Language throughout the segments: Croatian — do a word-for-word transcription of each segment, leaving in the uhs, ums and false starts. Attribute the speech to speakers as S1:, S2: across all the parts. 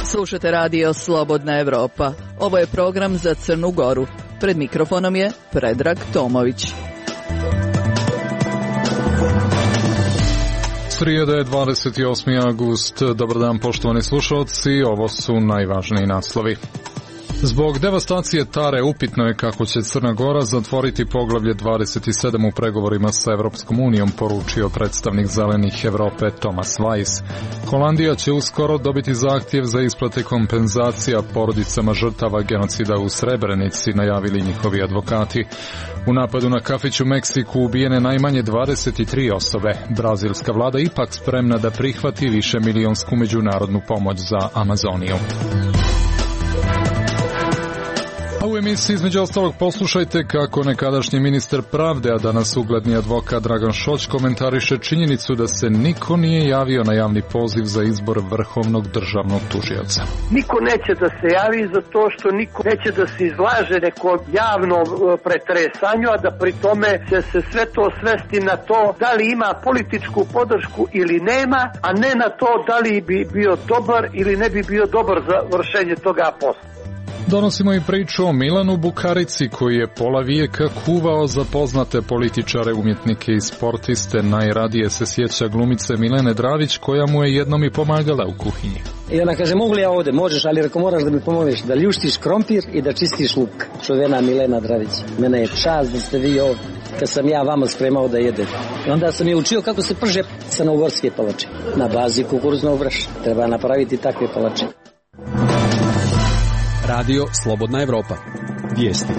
S1: Slušate radio Slobodna Evropa. Ovo je program za Crnu Goru. Pred mikrofonom je Predrag Tomović.
S2: Srijeda je dvadeset osmi avgust. Dobar dan poštovani slušalci, ovo su najvažniji naslovi. Zbog devastacije Tare upitno je kako će Crna Gora zatvoriti poglavlje dvadeset sedam u pregovorima sa Evropskom unijom, poručio predstavnik Zelenih Evrope Thomas Weiss. Holandija će uskoro dobiti zahtjev za isplate kompenzacija porodicama žrtava genocida u Srebrenici, najavili njihovi advokati. U napadu na kafić u Meksiku ubijene najmanje dvadeset tri osobe. Brazilska vlada ipak spremna da prihvati višemilijonsku međunarodnu pomoć za Amazoniju. A u emisiji između ostalog poslušajte kako nekadašnji ministar pravde, a danas ugledni advokat Dragan Šoć komentariše činjenicu da se niko nije javio na javni poziv za izbor vrhovnog državnog tužioca.
S3: Niko neće da se javi zato što niko neće da se izlaže neko javno pretresanju, a da pri tome će se sve to svesti na to da li ima političku podršku ili nema, a ne na to da li bi bio dobar ili ne bi bio dobar za vršenje toga posla.
S2: Donosimo i priču o Milanu Bukarici koji je pola vijeka kuvao za poznate političare, umjetnike i sportiste. Najradije se sjeća glumice Milene Dravić koja mu je jednom i pomagala u kuhinji.
S4: I ona kaže, mogu li ja ovdje? Možeš, ali reko moraš da mi pomogneš da ljuštiš krompir i da čistiš luk. Čuvena Milena Dravić. Mene je čast da ste vi ovdje kad sam ja vama spremao da jedete. I onda sam je učio kako se prže crnogorske palače. Na bazi kukuruznog brašna. Treba napraviti takve palače.
S5: Radio Slobodna Evropa. Vijesti.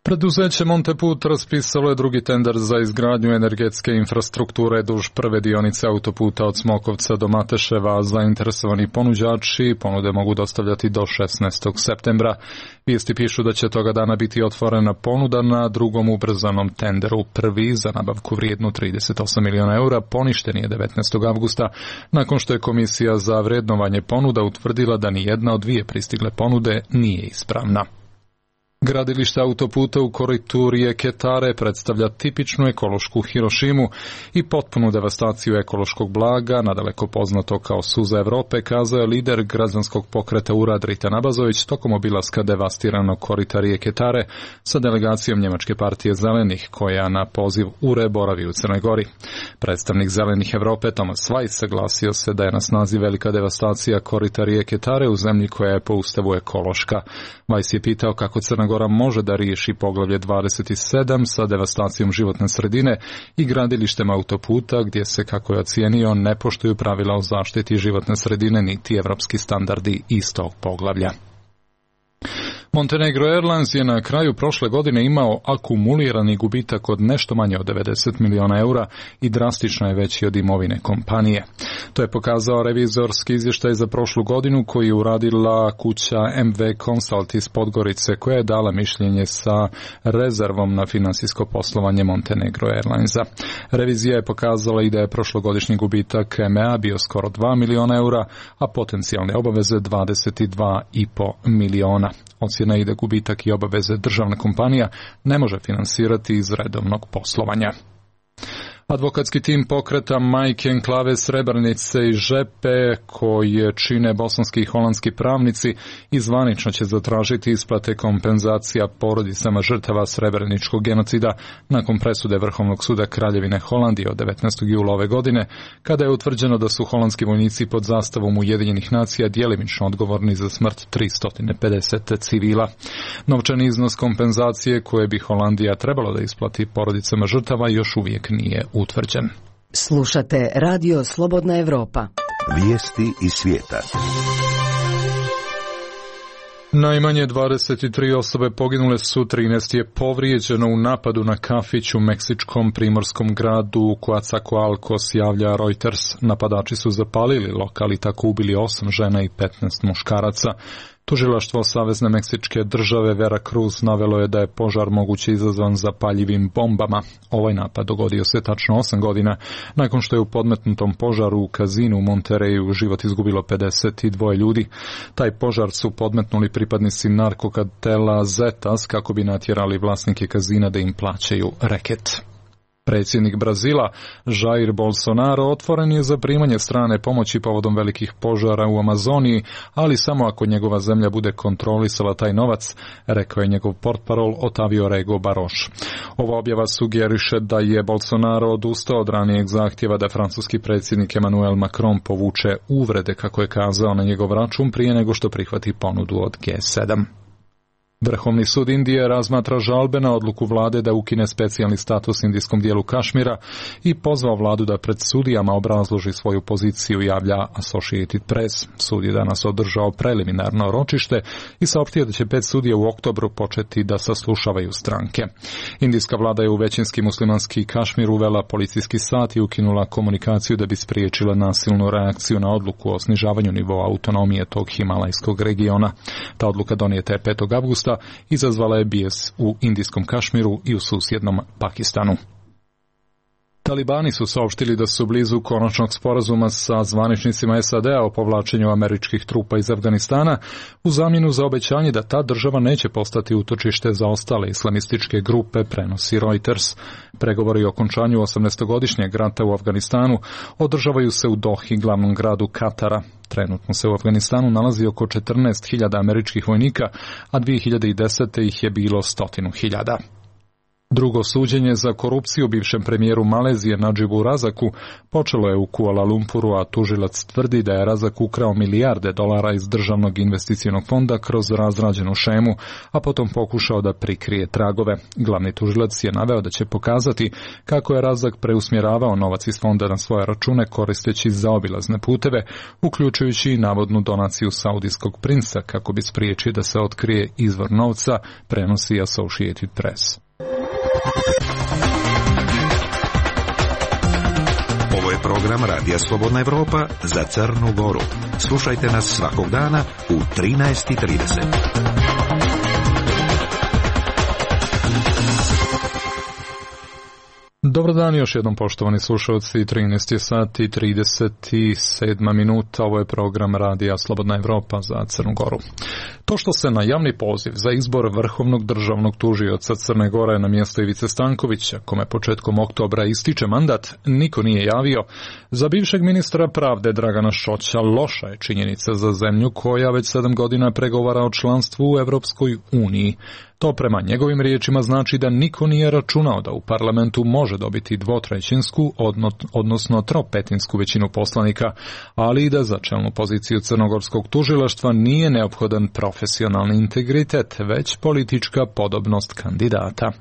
S2: Preduzeće Monteput raspisalo je drugi tender za izgradnju energetske infrastrukture duž prve dionice autoputa od Smokovca do Mateševa. Zainteresovani ponuđači ponude mogu dostavljati do šesnaestog septembra. Vijesti pišu da će toga dana biti otvorena ponuda na drugom ubrzanom tenderu. Prvi za nabavku vrijednu trideset osam miliona eura poništen je devetnaestog avgusta nakon što je Komisija za vrednovanje ponuda utvrdila da ni jedna od dvije pristigle ponude nije ispravna. Gradilište autoputa u koritu rijeke Tare predstavlja tipičnu ekološku Hirošimu i potpunu devastaciju ekološkog blaga, nadaleko poznato kao suza Evrope, kazao je lider građanskog pokreta Urad Ritan Abazović tokom obilaska devastiranog korita rijeke Tare sa delegacijom Njemačke partije Zelenih, koja na poziv U R E boravi u Crnoj Gori. Predstavnik Zelenih Evrope Thomas Weiss saglasio se da je na snazi velika devastacija korita rijeke Tare u zemlji koja je po ustavu ekološka. Weiss je pitao kako Crna Gora može da riješi poglavlje dvadeset sedam sa devastacijom životne sredine i gradilištem autoputa gdje se, kako je ocijenio, ne poštuju pravila o zaštiti životne sredine niti evropski standardi istog poglavlja. Montenegro Airlines je na kraju prošle godine imao akumulirani gubitak od nešto manje od devedeset miliona eura i drastično je veći od imovine kompanije. To je pokazao revizorski izvještaj za prošlu godinu koji je uradila kuća M V Consult iz Podgorice, koja je dala mišljenje sa rezervom na finansijsko poslovanje Montenegro Airlinesa. Revizija je pokazala i da je prošlogodišnji gubitak M E A bio skoro dva miliona eura, a potencijalne obaveze dvadeset dva i po miliona. Ocjena je da gubitak i obaveze državna kompanija ne može finansirati iz redovnog poslovanja. Advokatski tim pokreta Majke Enklave Srebrenice i Žepe, koje čine bosanski i holandski pravnici, izvanično će zatražiti isplate kompenzacija porodicama žrtava srebreničkog genocida nakon presude Vrhovnog suda Kraljevine Holandije od devetnaestog jula ove godine, kada je utvrđeno da su holandski vojnici pod zastavom Ujedinjenih nacija djelimično odgovorni za smrt tristo pedeset civila. Novčani iznos kompenzacije koje bi Holandija trebala da isplati porodicama žrtava još uvijek nije utvrđen.
S1: Slušate Radio Slobodna Evropa.
S6: Vijesti iz svijeta.
S2: Najmanje dvadeset tri osobe poginule su, trinaest je povrijeđeno u napadu na kafić u meksičkom primorskom gradu Coatzacoalcos, javlja Reuters. Napadači su zapalili lokal i tako ubili osam žena i petnaest muškaraca. Tužilaštvo Savezne Meksičke države Veracruz navelo je da je požar moguće izazvan zapaljivim bombama. Ovaj napad dogodio se tačno osam godina nakon što je u podmetnutom požaru u kazinu u Monterreyu život izgubilo pedeset dva ljudi. Taj požar su podmetnuli pripadnici narkokartela Zetas kako bi natjerali vlasnike kazina da im plaćaju reket. Predsjednik Brazila, Jair Bolsonaro, otvoren je za primanje strane pomoći povodom velikih požara u Amazoniji, ali samo ako njegova zemlja bude kontrolisala taj novac, rekao je njegov portparol Otavio Rego Baroš. Ova objava sugeriše da je Bolsonaro odustao od ranijeg zahtjeva da francuski predsjednik Emmanuel Macron povuče uvrede, kako je kazao, na njegov račun prije nego što prihvati ponudu od G sedam. Vrhovni sud Indije razmatra žalbe na odluku vlade da ukine specijalni status indijskom dijelu Kašmira i pozvao vladu da pred sudijama obrazloži svoju poziciju, javlja Associated Press. Sud je danas održao preliminarno ročište i saopštio da će pet sudija u oktobru početi da saslušavaju stranke. Indijska vlada je u većinski muslimanski Kašmir uvela policijski sat i ukinula komunikaciju da bi spriječila nasilnu reakciju na odluku o snižavanju nivoa autonomije tog himalajskog regiona. Ta odluka donijeta je petog avgusta izazvala je bijes u indijskom Kašmiru i u susjednom Pakistanu. Talibani su saopštili da su blizu konačnog sporazuma sa zvaničnicima S A D-a o povlačenju američkih trupa iz Afganistana u zamjenu za obećanje da ta država neće postati utočište za ostale islamističke grupe, prenosi Reuters. Pregovori o okončanju osamnaestogodišnjeg rata u Afganistanu održavaju se u Dohi, glavnom gradu Katara. Trenutno se u Afganistanu nalazi oko četrnaest hiljada američkih vojnika, a dvije hiljade desete ih je bilo stotinu hiljada. Drugo suđenje za korupciju bivšem premijeru Malezije Nadžibu Razaku počelo je u Kuala Lumpuru, a tužilac tvrdi da je Razak ukrao milijarde dolara iz državnog investicionog fonda kroz razrađenu šemu, a potom pokušao da prikrije tragove. Glavni tužilac je naveo da će pokazati kako je Razak preusmjeravao novac iz fonda na svoje račune koristeći zaobilazne puteve, uključujući i navodnu donaciju saudijskog princa kako bi spriječio da se otkrije izvor novca, prenosi Associated Press.
S6: Ovo je program Radija Slobodna Evropa za Crnu Goru. Slušajte nas svakog dana u trinaest i trideset.
S2: Dobar dan još jednom, poštovani slušalci, trinaest je sati i trideset sedam minuta, ovo je program Radija Slobodna Evropa za Crnu Goru. To što se na javni poziv za izbor vrhovnog državnog tužioca Crne Gore na mjesto Ivice Stankovića, kome početkom oktobra ističe mandat, niko nije javio, za bivšeg ministra pravde Dragana Šoća loša je činjenica za zemlju koja već sedam godina pregovara o članstvu u Evropskoj uniji. To prema njegovim riječima znači da niko nije računao da u parlamentu može dobiti dvotrećinsku, odnosno tropetinsku većinu poslanika, ali i da za čelnu poziciju crnogorskog tužilaštva nije neophodan profesionalni integritet, već politička podobnost kandidata.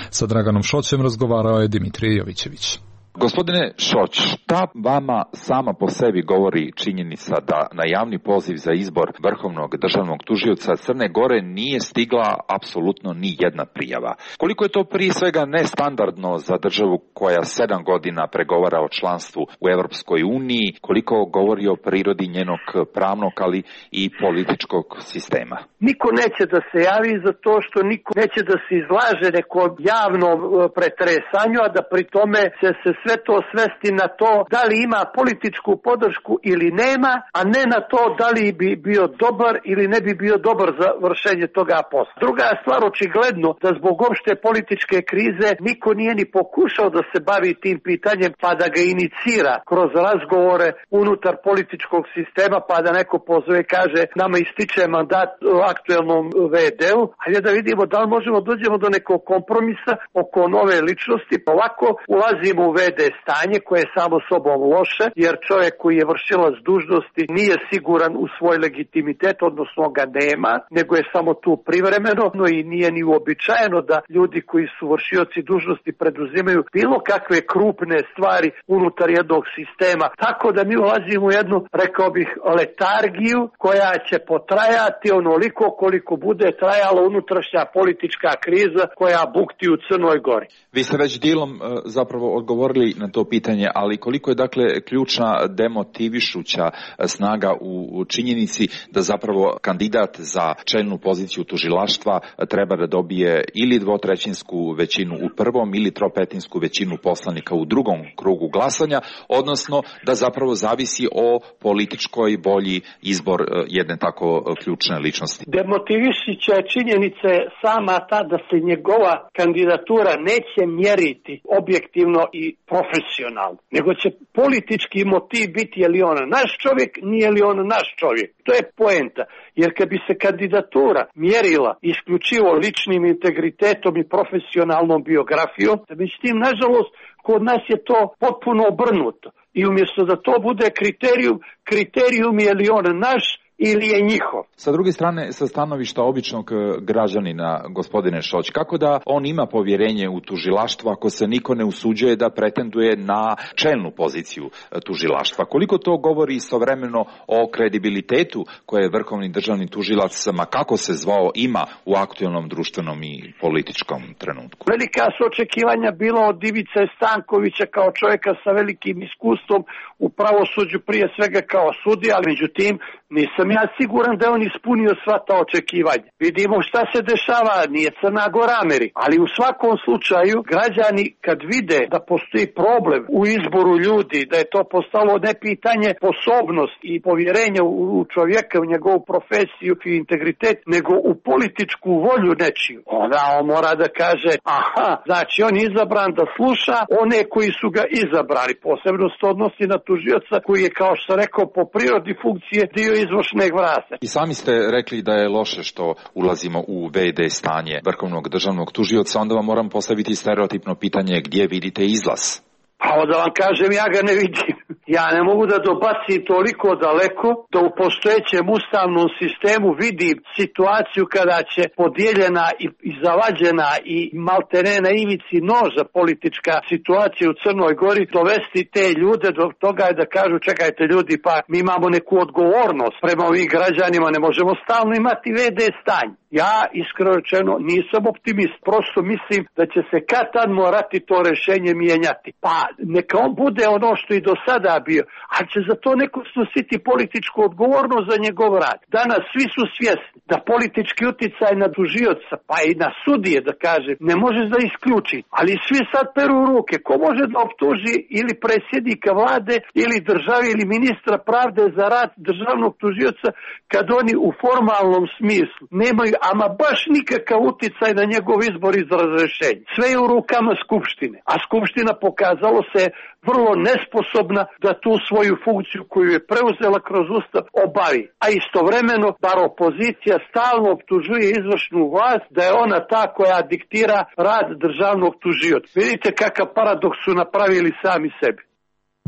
S2: Sa Draganom Šoćem razgovarao je Dimitrije Jovićević.
S7: Gospodine Šoć, šta vama sama po sebi govori činjenica da na javni poziv za izbor vrhovnog državnog tužioca Crne Gore nije stigla apsolutno ni jedna prijava? Koliko je to prije svega nestandardno za državu koja sedam godina pregovara o članstvu u Europskoj uniji, koliko govori o prirodi njenog pravnog, ali i političkog sistema?
S3: Niko neće da se javi za to što niko neće da se izlaže neko javno pretresanju, a da pri tome se se sve to svesti na to da li ima političku podršku ili nema, a ne na to da li bi bio dobar ili ne bi bio dobar za vršenje toga posla. Druga stvar, očigledno da zbog opšte političke krize niko nije ni pokušao da se bavi tim pitanjem pa da ga inicira kroz razgovore unutar političkog sistema, pa da neko pozove i kaže nama ističe mandat aktuelnom ve de-u, hajde da vidimo da li možemo dođemo do nekog kompromisa oko nove ličnosti, pa ovako ulazimo u ve de stanje koje je samo sobom loše, jer čovjek koji je vršilac dužnosti nije siguran u svoj legitimitet, odnosno ga nema, nego je samo tu privremeno, no i nije ni uobičajeno da ljudi koji su vršioci dužnosti preduzimaju bilo kakve krupne stvari unutar jednog sistema. Tako da mi ulazimo u jednu, rekao bih, letargiju koja će potrajati onoliko koliko bude trajala unutrašnja politička kriza koja bukti u Crnoj Gori.
S7: Vi ste već dijelom zapravo odgovorili odgovorili na to pitanje, ali koliko je dakle ključna demotivišuća snaga u činjenici da zapravo kandidat za čelnu poziciju tužilaštva treba da dobije ili dvotrećinsku većinu u prvom ili tropetinsku većinu poslanika u drugom krugu glasanja, odnosno da zapravo zavisi o političkoj volji izbor jedne tako ključne ličnosti.
S3: Demotivišića činjenica je sama ta da se njegova kandidatura neće mjeriti objektivno i profesionalno, nego će politički motiv biti je li on naš čovjek, nije li on naš čovjek. To je poenta, jer kad bi se kandidatura mjerila isključivo ličnim integritetom i profesionalnom biografijom, međutim, nažalost, kod nas je to potpuno obrnuto. I umjesto da to bude kriterijum, kriterijum je li on naš ili je njihov.
S7: Sa druge strane, sa stanovišta običnog građanina, gospodine Šoć, kako da on ima povjerenje u tužilaštvo ako se niko ne usuđuje da pretenduje na čelnu poziciju tužilaštva? Koliko to govori istovremeno o kredibilitetu koje vrhovni državni tužilac, ma kako se zvao, ima u aktualnom društvenom i političkom trenutku?
S3: Velika su očekivanja bilo od Ivice Stankovića kao čovjeka sa velikim iskustvom u pravosuđu, prije svega kao sudija, ali međutim nisam ja siguran da je on ispunio sva ta očekivanja. Vidimo šta se dešava, nije Crna Gora Amerika, ali u svakom slučaju građani kad vide da postoji problem u izboru ljudi, da je to postalo ne pitanje sposobnost i povjerenja u čovjeka, u njegovu profesiju i integritet, nego u političku volju nečiju, onda on mora da kaže, aha, znači on je izabran da sluša one koji su ga izabrali. Posebno se odnosi na tužioca koji je, kao što rekao, po prirodi funkcije dio izvršnog vlasti.
S7: I sami ste rekli da je loše što ulazimo u ve de stanje vrhovnog državnog tužioca, onda vam moram postaviti stereotipno pitanje, gdje vidite izlaz?
S3: Pa da vam kažem, ja ga ne vidim. Ja ne mogu da dobacim toliko daleko da u postojećem ustavnom sistemu vidim situaciju kada će podijeljena i, i zavađena i maltene na ivici noža politička situacija u Crnoj Gori dovesti te ljude do toga da kažu, čekajte ljudi, pa mi imamo neku odgovornost prema ovim građanima, ne možemo stalno imati ve de stanje. Ja, iskreno rečeno, nisam optimist. Prosto mislim da će se kad tad morati to rješenje mijenjati. Pa neka on bude ono što i do sada bio, ali će za to neko snositi političku odgovornost za njegov rad. Danas svi su svjesni da politički uticaj na tužioca, pa i na sudije, da kaže, ne može da isključi. Ali svi sad peru ruke. Ko može da optuži ili predsjednika vlade, ili države, ili ministra pravde za rad državnog tužioca kad oni u formalnom smislu nemaju ama baš nikakav uticaj na njegov izbor iz razrješenja. Sve je u rukama Skupštine, a Skupština pokazalo se vrlo nesposobna da tu svoju funkciju koju je preuzela kroz Ustav obavi. A istovremeno, bar opozicija stalno optužuje izvršnu vlast da je ona ta koja diktira rad državnog tužioca. Vidite kakav paradoks su napravili sami sebi.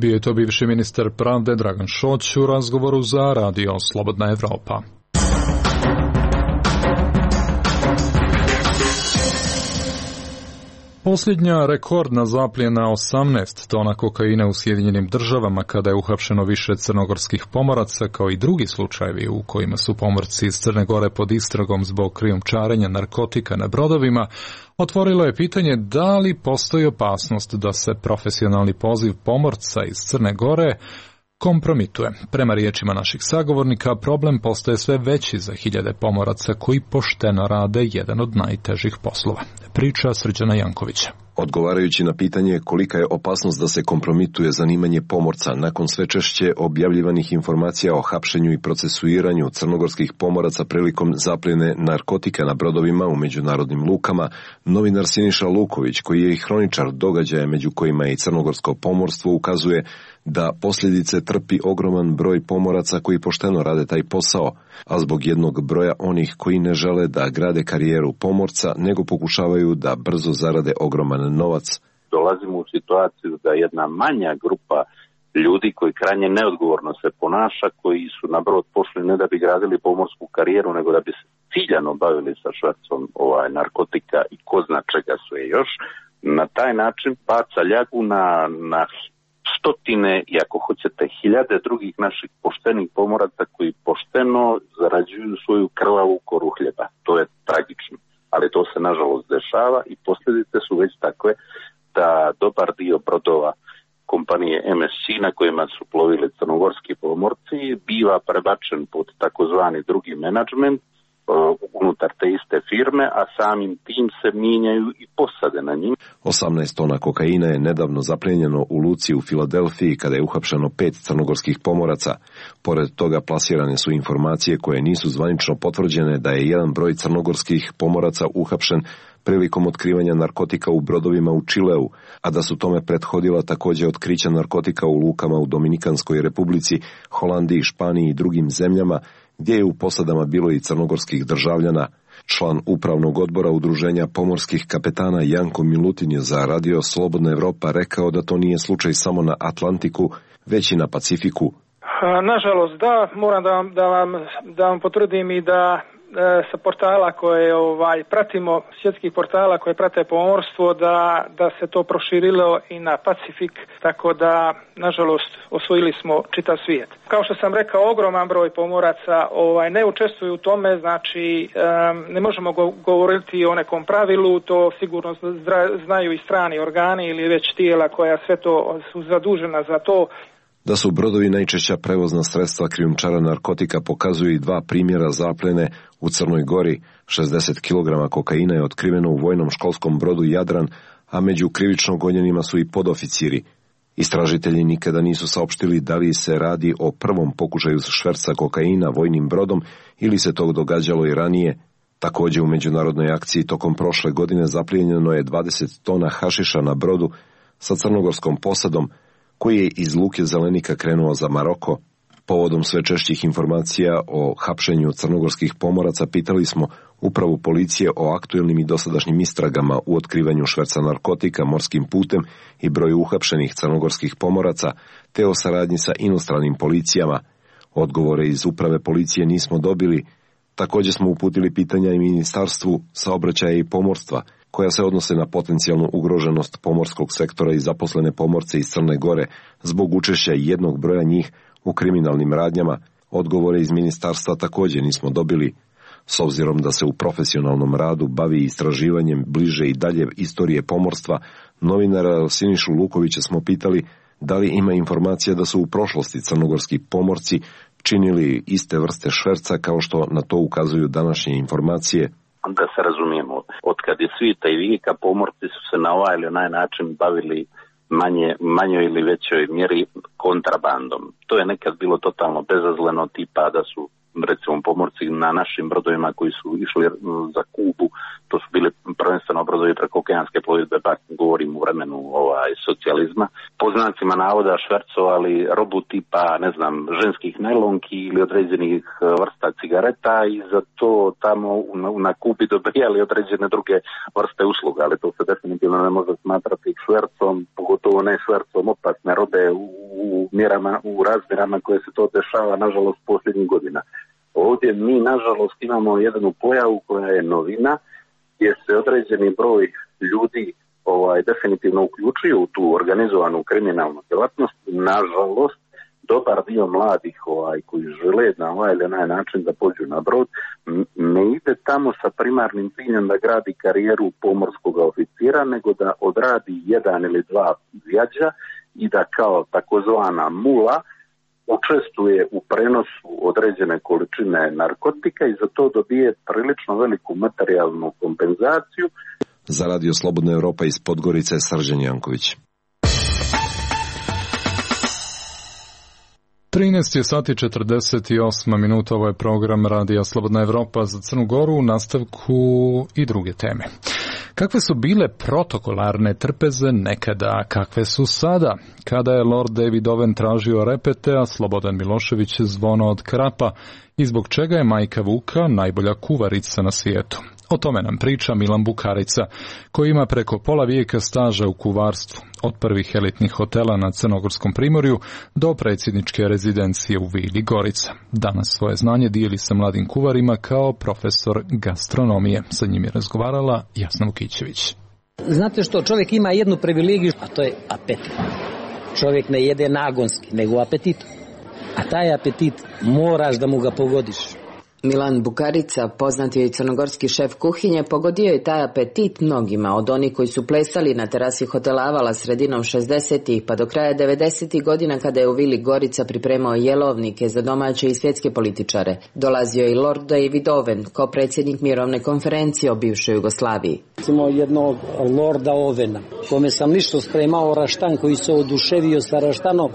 S2: Bio je to bivši ministar pravde Dragan Šoć u razgovoru za radio Slobodna Evropa. Posljednja rekordna zapljena osamnaest tona kokaina u Sjedinjenim Državama kada je uhapšeno više crnogorskih pomoraca, kao i drugi slučajevi u kojima su pomorci iz Crne Gore pod istragom zbog krijumčarenja narkotika na brodovima, otvorilo je pitanje da li postoji opasnost da se profesionalni poziv pomorca iz Crne Gore kompromituje. Prema riječima naših sagovornika, problem postaje sve veći za hiljade pomoraca koji pošteno rade jedan od najtežih poslova. Priča Srđana Jankovića.
S8: Odgovarajući na pitanje kolika je opasnost da se kompromituje zanimanje pomorca nakon sve češće objavljivanih informacija o hapšenju i procesuiranju crnogorskih pomoraca prilikom zapljene narkotika na brodovima u međunarodnim lukama, novinar Siniša Luković, koji je i hroničar događaja među kojima je i crnogorsko pomorstvo, ukazuje da posljedice trpi ogroman broj pomoraca koji pošteno rade taj posao, a zbog jednog broja onih koji ne žele da grade karijeru pomorca, nego pokušavaju da brzo zarade ogroman novac.
S9: Dolazimo u situaciju da jedna manja grupa ljudi koji krajnje neodgovorno se ponaša, koji su na brod pošli ne da bi gradili pomorsku karijeru, nego da bi se ciljano bavili sa švercom ovaj, narkotika i ko zna čega sve još, na taj način baca ljagu na, na stotine i ako hoćete hiljade drugih naših poštenih pomoraca koji pošteno zarađuju svoju krvavu koru hljeba. To je tragično, ali to se nažalost dešava i posljedice su već takve da dobar dio brodova kompanije M S C na kojima su plovili crnogorski pomorci biva prebačen pod takozvani drugi menadžment unutar te iste firme, a samim tim se mijenjaju i posade na njim.
S8: osamnaest tona kokaina je nedavno zaplijenjeno u luci u Filadelfiji kada je uhapšeno pet crnogorskih pomoraca. Pored toga plasirane su informacije koje nisu zvanično potvrđene da je jedan broj crnogorskih pomoraca uhapšen prilikom otkrivanja narkotika u brodovima u Čileu, a da su tome prethodila također otkrića narkotika u lukama u Dominikanskoj republici, Holandiji, Španiji i drugim zemljama, gdje je u posadama bilo i crnogorskih državljana. Član upravnog odbora Udruženja pomorskih kapetana Janko Milutin je za Radio Slobodna Evropa rekao da to nije slučaj samo na Atlantiku, već i na Pacifiku.
S10: Nažalost, da, moram da vam, da vam, da vam potvrdim i da sa portala koje ovaj pratimo, svjetskih portala koje prate pomorstvo, da, da se to proširilo i na Pacifik, tako da nažalost osvojili smo čitav svijet. Kao što sam rekao, ogroman broj pomoraca ovaj ne učestvuju u tome, znači um, ne možemo go- govoriti o nekom pravilu, to sigurno zra- znaju i strani organi ili već tijela koja sve to su zadužena za to.
S8: Da su brodovi najčešća prevozna sredstva krijumčara narkotika pokazuju i dva primjera zapljene u Crnoj Gori. šezdeset kilograma kokaina je otkriveno u vojnom školskom brodu Jadran, a među krivično gonjenima su i podoficiri. Istražitelji nikada nisu saopštili da li se radi o prvom pokušaju šverca kokaina vojnim brodom ili se to događalo i ranije. Također u međunarodnoj akciji tokom prošle godine zaplijenjeno je dvadeset tona hašiša na brodu sa crnogorskom posadom, koji je iz luke Zelenika krenuo za Maroko. Povodom sve češćih informacija o hapšenju crnogorskih pomoraca pitali smo upravu policije o aktuelnim i dosadašnjim istragama u otkrivanju šverca narkotika morskim putem i broju uhapšenih crnogorskih pomoraca, te o saradnji sa inostranim policijama. Odgovore iz uprave policije nismo dobili. Također smo uputili pitanja i Ministarstvu saobraćaja i pomorstva, koja se odnose na potencijalnu ugroženost pomorskog sektora i zaposlene pomorce iz Crne Gore zbog učešća jednog broja njih u kriminalnim radnjama. Odgovore iz ministarstva također nismo dobili. S obzirom da se u profesionalnom radu bavi istraživanjem bliže i dalje istorije pomorstva, novinara Sinišu Lukovića smo pitali da li ima informacija da su u prošlosti crnogorski pomorci činili iste vrste šverca kao što na to ukazuju današnje informacije.
S9: Da se razumijemo, od kad je svita i vijeka pomorci su se na ovaj ili onaj način bavili manje, manjoj ili većoj mjeri kontrabandom. To je nekad bilo totalno bezazleno, tipa da su recimo pomorci na našim brodovima koji su išli za Kubu, to su bili prvenstveno brodovi preko okeanske plovidbe, pa govorim u vremenu ovaj, socijalizma, po znacima navoda švercovali robu tipa, ne znam, ženskih najlonki ili određenih vrsta cigareta i za to tamo na, na Kubi dobijali određene druge vrste usluga, ali to se definitivno ne može smatrati švercom, pogotovo ne švercom opasne robe u, u mjerama, u razmjerama koje se to dešava, nažalost, posljednjih godina. Ovdje mi, nažalost, imamo jednu pojavu koja je novina, gdje se određeni broj ljudi ovaj, definitivno uključuju u tu organizovanu kriminalnu djelatnost. Nažalost, dobar dio mladih ovaj, koji žele na ovaj ili onaj način da pođu na brod, ne ide tamo sa primarnim ciljem da gradi karijeru pomorskog oficira, nego da odradi jedan ili dva vjađa i da kao takozvana mula učestvuje u prenosu određene količine narkotika i za to dobije prilično veliku materijalnu kompenzaciju.
S8: Za Radio Slobodna Evropa iz Podgorice, Srđan Janković.
S2: trinaest je sati četrdeset osam minuta, ovo je program Radija Slobodna Evropa za Crnu Goru, u nastavku i druge teme. Kakve su bile protokolarne trpeze nekada, kakve su sada? Kada je Lord David Owen tražio repete, a Slobodan Milošević zvono od krapa, i zbog čega je majka Vuka najbolja kuvarica na svijetu? O tome nam priča Milan Bukarica, koji ima preko pola vijeka staža u kuvarstvu, od prvih elitnih hotela na Crnogorskom primorju do predsjedničke rezidencije u Vili Gorica. Danas svoje znanje dijeli sa mladim kuvarima kao profesor gastronomije. Sa njim je razgovarala Jasna Vukićević.
S4: Znate što, čovjek ima jednu privilegiju, a to je apetit. Čovjek ne jede nagonski, nego apetitom. A taj apetit moraš da mu ga pogodiš.
S11: Milan Bukarica, poznati crnogorski šef kuhinje, pogodio je taj apetit mnogima, od onih koji su plesali na terasi hotela Avala sredinom šezdesetih pa do kraja devedesetih godina kada je u Vili Gorica pripremao jelovnike za domaće i svjetske političare. Dolazio je i Lord David Owen, kao predsjednik mirovne konferencije o bivšoj Jugoslaviji.
S4: Imao jednog Lorda Ovena, kome sam lično spremao raštan, koji se oduševio sa raštanom,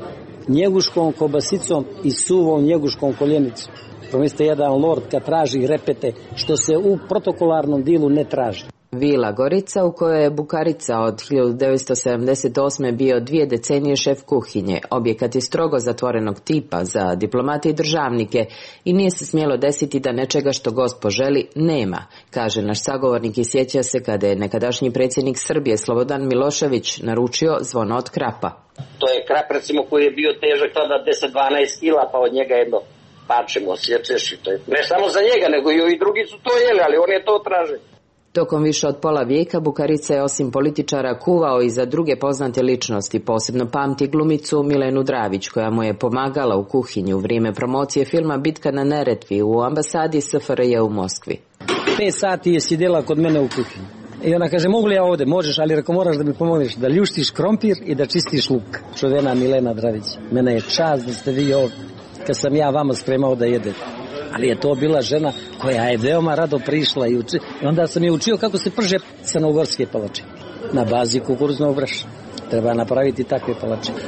S4: njeguškom kobasicom i suvom njeguškom koljenicom. Promislite, jedan lord kad traži repete, što se u protokolarnom dilu ne traži.
S11: Vila Gorica, u kojoj je Bukarica od hiljadu devetsto sedamdeset osme bio dvije decenije šef kuhinje. Objekat je strogo zatvorenog tipa za diplomate i državnike i nije se smjelo desiti da nečega što gost poželi nema, kaže naš sagovornik i sjeća se kada je nekadašnji predsjednik Srbije Slobodan Milošević naručio zvono od krapa.
S12: To je krap, recimo, koji je bio težak tada deset do dvanaest kila, pa od njega jedno pačemo, osjećeš i to je. Ne samo za njega, nego i drugi su to jeli, ali on je to tražio.
S11: Tokom više od pola vijeka Bukarica je osim političara kuvao i za druge poznate ličnosti, posebno pamti glumicu Milenu Dravić, koja mu je pomagala u kuhinji u vrijeme promocije filma Bitka na Neretvi u ambasadi S F R J u Moskvi.
S4: Pet sati je sjedila kod mene u kuhinji. I ona kaže, mogu li ja ovdje? Možeš, ali reko moraš da mi pomogneš da ljuštiš krompir i da čistiš luk. Čuvena Milena Dravić. Mene je čast da ste vi ovdje, kad sam ja vama spremao da jedete. Ali je to bila žena koja je veoma rado prišla i, uči, i onda sam je učio kako se prže crnogorske palačine. Na bazi kukuruznog brašna. Treba napraviti takve palačine.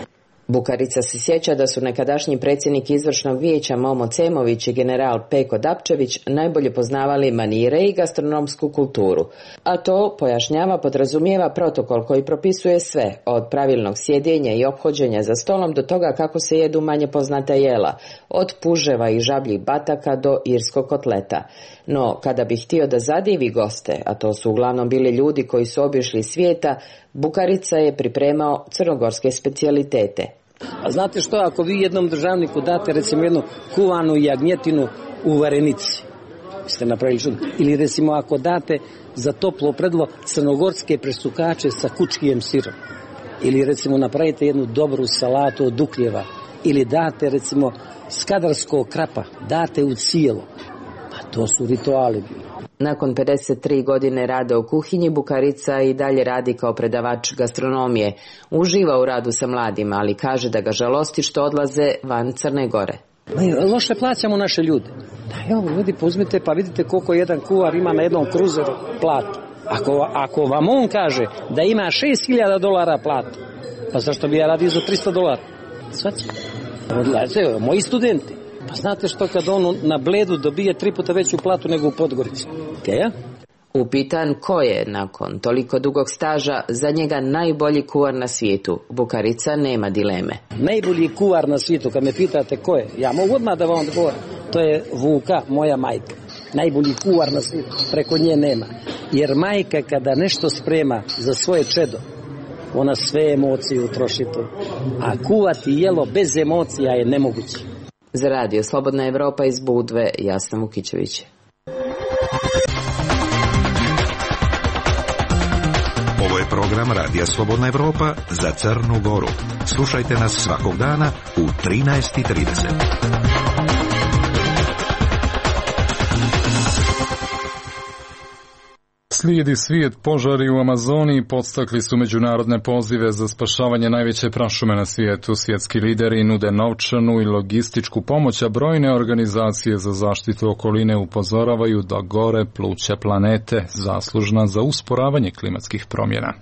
S11: Bukarica se sjeća da su nekadašnji predsjednik izvršnog vijeća Momo Cemović i general Peko Dapčević najbolje poznavali manire i gastronomsku kulturu. A to, pojašnjava, podrazumijeva protokol koji propisuje sve, od pravilnog sjedenja i ophođenja za stolom do toga kako se jedu manje poznata jela, od puževa i žabljih bataka do irskog kotleta. No, kada bi htio da zadivi goste, a to su uglavnom bili ljudi koji su obišli svijeta, Bukarica je pripremao crnogorske specijalitete.
S4: A znate što, ako vi jednom državniku date recimo jednu kuvanu jagnjetinu u varenici, ste napravili čudno. Ili recimo ako date za toplo predlo crnogorske presukače sa kučkijem sirom. Ili recimo napravite jednu dobru salatu od dukljeva. Ili date recimo skadarskog krapa, date u cijelo. Pa to su rituali bili.
S11: Nakon pedeset tri godine rada u kuhinji, Bukarica i dalje radi kao predavač gastronomije. Uživa u radu sa mladima, ali kaže da ga žalosti što odlaze van Crne Gore.
S4: Loše plaćamo naše ljude. Da, evo, ljudi, uzmite pa vidite koliko jedan kuvar ima na jednom kruzeru platu. Ako, ako vam on kaže da ima šest hiljada dolara platu, pa zašto bi ja radio za tristo dolara? Svaći? Odlaze, moji studenti. Pa znate što, kad on na Bledu dobije tri puta veću platu nego u Podgorici? Okay,
S11: Upitan ko je, nakon toliko dugog staža, za njega najbolji kuvar na svijetu, Bukarica nema dileme.
S4: Najbolji kuvar na svijetu, kad me pitate ko je, ja mogu odmah da vam odgovorim. To je Vuka, moja majka. Najbolji kuvar na svijetu, preko nje nema. Jer majka kada nešto sprema za svoje čedo, ona sve emocije utroši to. A kuvati jelo bez emocija je nemoguće.
S11: Za radio Slobodna Evropa iz Budve, Jasna Vukićević.
S6: Ovo je program Radija Slobodna Evropa za Crnu Goru. Slušajte nas svakog dana u trinaest i trideset.
S2: Slijedi svijet. Požari u Amazoniji podstakli su međunarodne pozive za spašavanje najveće prašume na svijetu. Svjetski lideri nude novčanu i logističku pomoć, a brojne organizacije za zaštitu okoline upozoravaju da gore pluća planete zaslužna za usporavanje klimatskih promjena.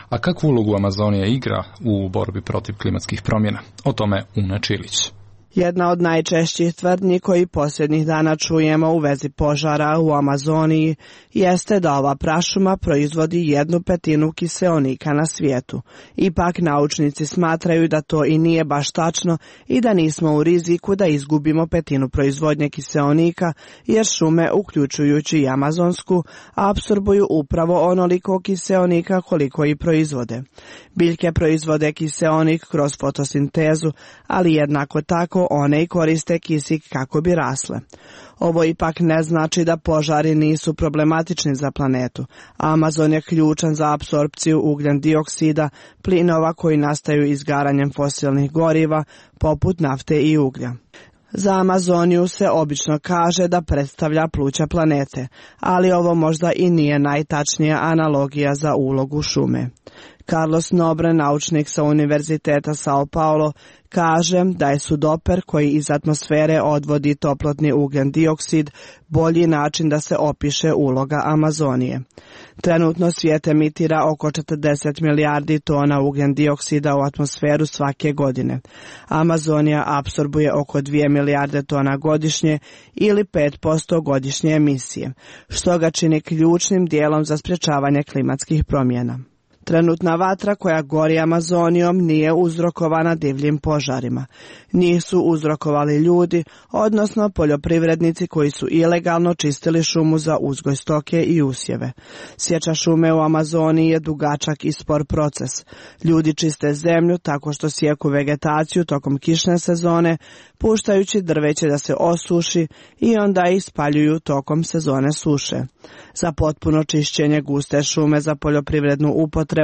S2: A kakvu ulogu Amazonija igra u borbi protiv klimatskih promjena? O tome Una Čilić.
S13: Jedna od najčešćih tvrdnji koji posljednjih dana čujemo u vezi požara u Amazoniji jeste da ova prašuma proizvodi jednu petinu kiseonika na svijetu. Ipak naučnici smatraju da to i nije baš tačno i da nismo u riziku da izgubimo petinu proizvodnje kiseonika, jer šume, uključujući i amazonsku, apsorbuju upravo onoliko kiseonika koliko i proizvode. Biljke proizvode kiseonik kroz fotosintezu, ali jednako tako one i koriste kisik kako bi rasle. Ovo ipak ne znači da požari nisu problematični za planetu. Amazon je ključan za apsorpciju ugljen dioksida, plinova koji nastaju izgaranjem fosilnih goriva, poput nafte i uglja. Za Amazoniju se obično kaže da predstavlja pluća planete, ali ovo možda i nije najtačnija analogija za ulogu šume. Carlos Nobre, naučnik sa Univerziteta São Paulo, kaže da je sudoper koji iz atmosfere odvodi toplotni ugljen dioksid bolji način da se opiše uloga Amazonije. Trenutno svijet emitira oko četrdeset milijardi tona ugljen dioksida u atmosferu svake godine. Amazonija apsorbuje oko dvije milijarde tona godišnje ili pet posto godišnje emisije, što ga čini ključnim dijelom za sprječavanje klimatskih promjena. Trenutna vatra koja gori Amazonijom nije uzrokovana divljim požarima. Njih su uzrokovali ljudi, odnosno poljoprivrednici koji su ilegalno čistili šumu za uzgoj stoke i usjeve. Sječa šume u Amazoniji je dugačak i spor proces. Ljudi čiste zemlju tako što sjeku vegetaciju tokom kišne sezone, puštajući drveće da se osuši i onda ih spaljuju tokom sezone suše. Za potpuno čišćenje guste šume za poljoprivrednu upotrebu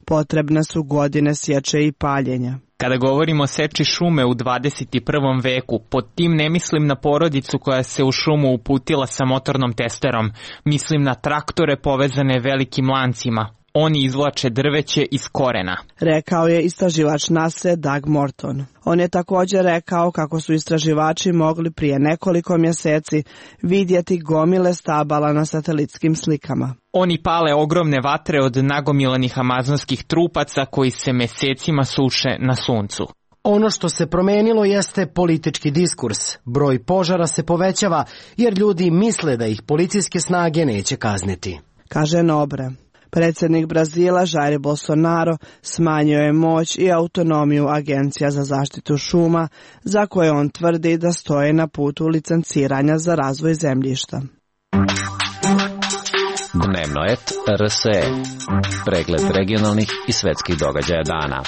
S13: potrebne su godine sječe i paljenja.
S14: Kada govorimo o seči šume u dvadeset prvom veku, pod tim ne mislim na porodicu koja se u šumu uputila sa motornom testerom, mislim na traktore povezane velikim lancima. Oni izvlače drveće iz korena.
S13: Rekao je istraživač nase Doug Morton. On je također rekao kako su istraživači mogli prije nekoliko mjeseci vidjeti gomile stabala na satelitskim slikama.
S14: Oni pale ogromne vatre od nagomilanih amazonskih trupaca koji se mesecima suše na suncu.
S15: Ono što se promenilo jeste politički diskurs. Broj požara se povećava jer ljudi misle da ih policijske snage neće kazniti,
S13: kaže Nobre. Predsjednik Brazila Jair Bolsonaro smanjio je moć i autonomiju Agencija za zaštitu šuma, za koje on tvrdi da stoje na putu licenciranja za razvoj zemljišta.
S16: Dnevnoet R S E. Pregled regionalnih i svetskih događaja dana.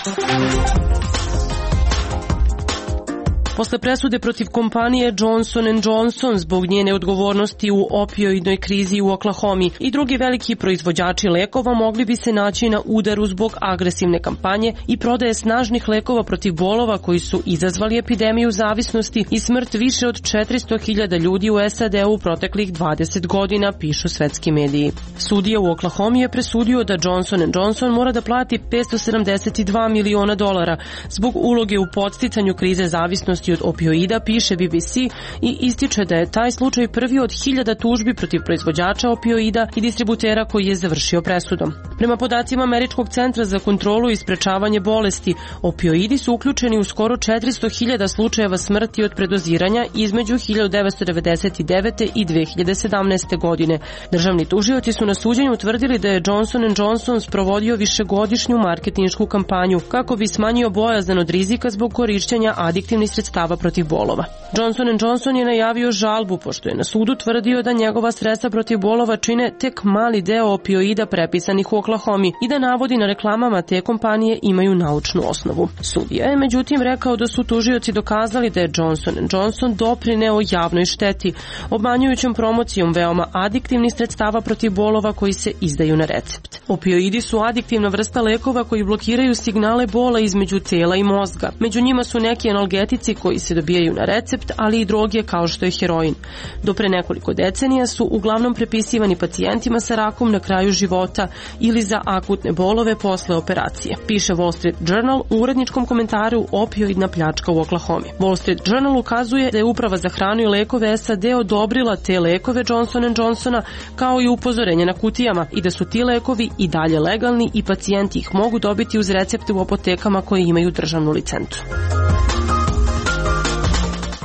S17: Posle presude protiv kompanije Johnson and Johnson zbog njene odgovornosti u opioidnoj krizi u Oklahomi i drugi veliki proizvođači lekova mogli bi se naći na udaru zbog agresivne kampanje i prodaje snažnih lekova protiv bolova koji su izazvali epidemiju zavisnosti i smrt više od četiristo hiljada ljudi u S A D u proteklih dvadeset godina, pišu svetski mediji. Sudija u Oklahomi je presudio da Johnson and Johnson mora da plati petsto sedamdeset dva miliona dolara zbog uloge u podsticanju krize zavisnosti od opioida, piše B B C i ističe da je taj slučaj prvi od hiljada tužbi protiv proizvođača opioida i distributera koji je završio presudom. Prema podacima Američkog centra za kontrolu i sprečavanje bolesti, opioidi su uključeni u skoro četiristo hiljada slučajeva smrti od predoziranja između hiljadu devetsto devedeset devete. i dve hiljade sedamnaeste. godine. Državni tužioci su na suđenju utvrdili da je Johnson and Johnson sprovodio višegodišnju marketinšku kampanju kako bi smanjio bojazan od rizika zbog korišćenja adiktivnih sredstava protiv bolova. Johnson and Johnson je najavio žalbu pošto je na sudu tvrdio da njegova sredstva protiv bolova čine tek mali deo opioida prepisanih u Oklahomi i da navodi na reklamama te kompanije imaju naučnu osnovu. Sudija je međutim rekao da su tužioci dokazali da je Johnson and Johnson doprineo javnoj šteti, obmanjujućom promocijom veoma adiktivnih sredstava protiv bolova koji se izdaju na recept. Opioidi su adiktivna vrsta lekova koji blokiraju signale bola između tela i mozga. Među njima su neki analgetici koji se dobijaju na recept, ali i droge kao što je heroin. Do pre nekoliko decenija su uglavnom prepisivani pacijentima sa rakom na kraju života ili za akutne bolove posle operacije. Piše Wall Street Journal u uredničkom komentaru opioidna pljačka u Oklahomi. Wall Street Journal ukazuje da je Uprava za hranu i lekove S A D odobrila te lekove Johnson and Johnsona kao i upozorenje na kutijama i da su ti lekovi i dalje legalni i pacijenti ih mogu dobiti uz recepte u apotekama koje imaju državnu licencu.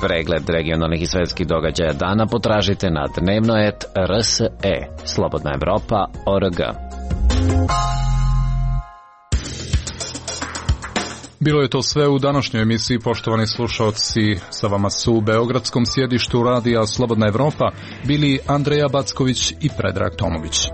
S16: Pregled regionalnih i svetskih događaja dana potražite na Dnevnoet R S E. Slobodna Evropa O R G.
S2: Bilo je to sve u današnjoj emisiji, poštovani slušalci. Sa vama su u beogradskom sjedištu radija Slobodna Evropa bili Andreja Backović i Predrag Tomović.